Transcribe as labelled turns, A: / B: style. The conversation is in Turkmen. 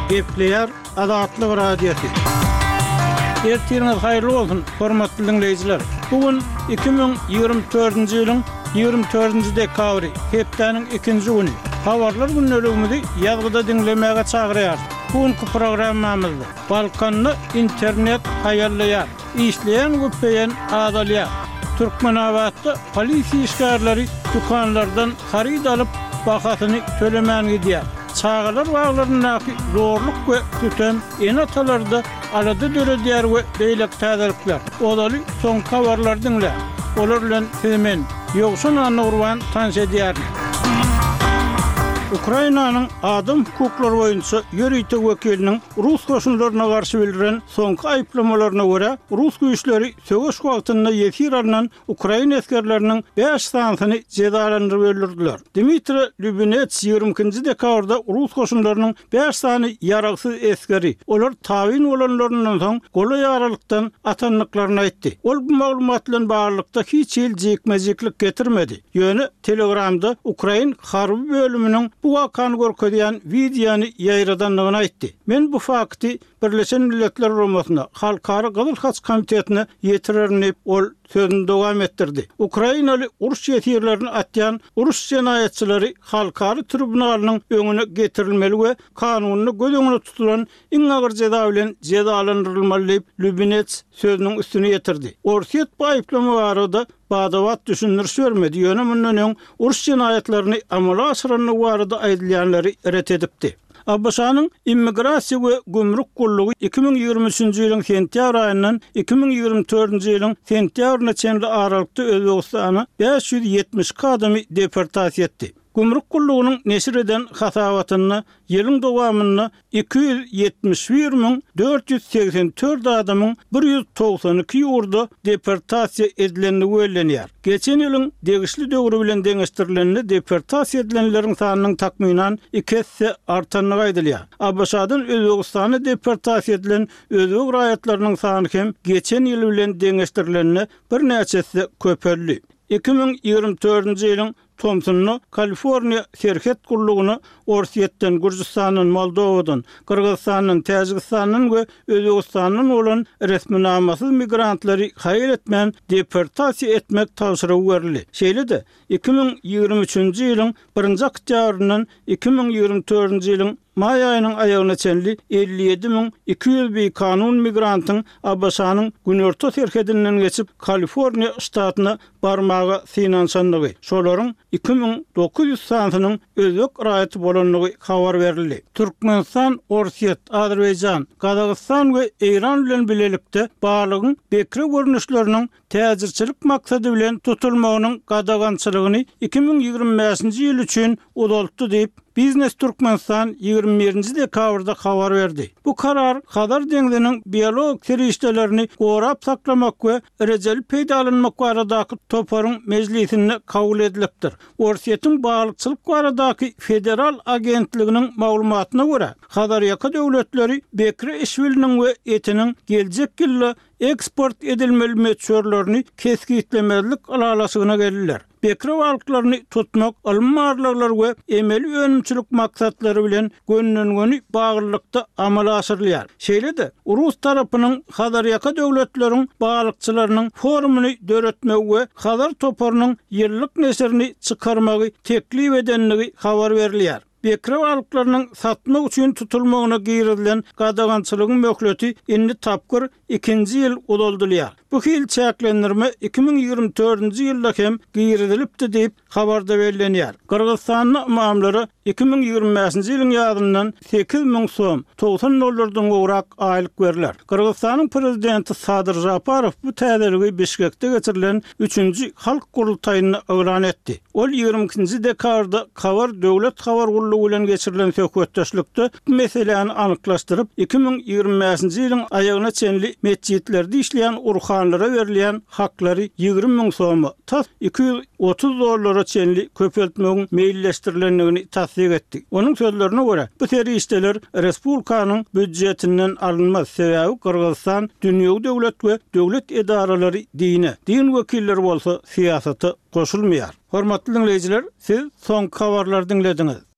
A: Gepleýär Azatlyk Radiosy. Ertiriňiz haýyrly bolsun, hormatly diňleýjiler! Bu gün 2024-nji ýylyň 24-nji dekabry, hepdäniň ikinji güni. Habarlar gündeligimizi ýazgyda diňlemäge çagyrýarys. Bu günki programmamyzda Balkanda internet haýallaýar, işleýän vpn azalýar. Türkmenabatda polisiýa işgärleri dükanlardan haryt alyp, bahasyny tölemän gidýär. Çagalar baglaryndaky zorluk we sütem ene-atalarda alada döredýär we beýleki täzelikler. Ozaly soňky habarlary diňläň. Olar bilen sizi men, Ýowşan Annagurban tanyş edýärin. Ukrainanyň adam hukuklary boýunça ýörite wekiliniň rus goşunlaryna garşy bildiren soňky aýyplamalaryna görä, rus güýçleri söweş wagtynda ýesir alnan ukrain esgerleriniň bäş sanysyny jezalandyryp öldürdiler. Dmitriý Lubinets 22-nji dekabrda rus goşunlarynyň bäş sany ýaragsyz esgeri, olar tabyn bolanlaryndan soň golaý aralykdan atandyklaryny aýtdy. Ol bu maglumat bilen baglylykda hiç hili jikme-jiklik getirmedi. Ýöne Telegramda ukrain harby bölüminiň bu wakany görkezýän wideony ýaýradandygyny aýtdy. Men bu fakty Birleşen Milletler Guramasyna, Halkara Gyzyl Haç Komitetine ýetirerin diýip, ol sözüni dowam etdirdi. Ukrainaly uruş ýesirlerini atýan uruş jenaýatçylary halkara tribunalynyň öňüne getirilmeli we kanunda göz öňünde tutulan iň agyr jeza bilen jezalandyrylmaly diýip, Lubinets sözüniň üstüni ýetirdi. Orsýet bu aýyplama barada bada-bat düşündiriş bermedi, ýöne mundan öň uruş jenaýatlaryny amala aşyrandygy barada aýdylýanlary ret edipdi. ABŞ-nyň Immigrasiýa we gümrük gullugy 2023-nji ýylyň sentýabr aýyndan 2024-nji ýylyň sentýabryna çenli aralykda Özbegistana 572 adamy deportasiýa etdi. Gümrük gullugynyň neşir eden hasabatynda ýylyň dowamynda 271 484 adamyň 192 ýurda deportasiýa edilendigi bellenýär. Geçen ýylyň degişli döwri bilen deňeşdirilende deportasiýa edilenleriň sanynyň takmynan iki esse artandygy aýdylýar. ABŞ-dan Özbegistana deportasiýa edilen özbek raýatlarynyň sany hem geçen ýyl bilen deňeşdirilende birnäçe esse köpeldi. 2024-nji ýylyň Tomsunda Kaliforniýa serhet gullugyna Orsýetden, Gürjüstandan, Moldowadan, Gyrgyzystandan, Täjigistandan we Özbegistandan bolan resminamasyz migrantlary haýal etmän deportasiýa etmek tabşyrygy berildi. Şeýle-de, 2023-nji ýylyň birinji oktýabryndan 2024-nji ýylyň Maý aýynyň aýagyna çenli 57 200 bikanun migrantyň ABŞ-nyň günorta serhedinden geçip, Kaliforniýa ştatyna barmaga synanyşandygy, şolaryň 2900 sanysynyň özbek raýaty bolandygy habar berildi. Türkmenistan Orsýet, Azerbaýjan, Gazagystan we Eýran bilen bilelikde balygyň bekre görnüşleriniň täjirçilik maksady bilen tutulmagynyň gadagançylygyny 2025-nji ýyl üçin uzaltdy diýip, Biznes Türkmenistan 21-nji dekabrda habar berdi. Bu karar Hazar deňziniň biologik serişdelerini gorap saklamak we rejeli peýdalanmak baradaky toparyň mejlisinde kabul edilipdir. Orsýetiň balykçylyk baradaky federal agentliginiň maglumatyna görä, Hazarýaka döwletleri bekre işbiliniň we etiniň geljek ýylda eksport edilmeli möçberlerini kesgitlemezlik ylalaşygyna geldiler. Bekre balyklaryny tutmak ylmy barlaglar we emeli önümçilik maksatlary bilen gönden-göni baglylykda amala aşyrylýar. Şeýle-de, rus tarapynyň Hazarýaka döwletleriň balykçylarynyň forumyny döretmegi we Hazar toparynyň ýyllyk neşirini çykarmagy teklip edendigi habar berilýär. Bekre balyklarynyň satmak üçin tutulmagyna girizilen gadagançylygyň möhleti indi tapgyr ikinji ýyl uzaldylýar. Bu hili çäklendirme 2024-nji ýylda hem girizilipdi diýip, habarda bellenýär. Gyrgyzystanda ymamlara 2025-nji ýylyň ýazyndan 8000 som, 90 dollardan gowrak aýlyk berler. Gyrgyzystanyň prezidenti Sadyr Žaparow bu täzeligi Bişkekde geçirilen üçünji Halk gurultaýynda yglan etdi. Ol 22-nji dekabrda Kabar döwlet habar gullugy bilen geçirilen söhbetdeşlikde bu meseläni anyklaşdyryp, 2025-nji ýylyň aýagyna çenli metjitlerde işleýän urhanlara berilýän haklary 20 müň soma, tas 230 dollara çenli köpeltmegiň meýilleşdirilendigini tassyk etdi. Onuň sözlerine görä, bu serişdeler respublikanyň býudjetinden alynmaz, sebäbi Gyrgyzystan dünýewi döwlet we döwlet edaralary dine, din wekilleri bolsa syýasata goşulmaýar. Hormatly diňleýjiler, siz soňky habarlary diňlediňiz.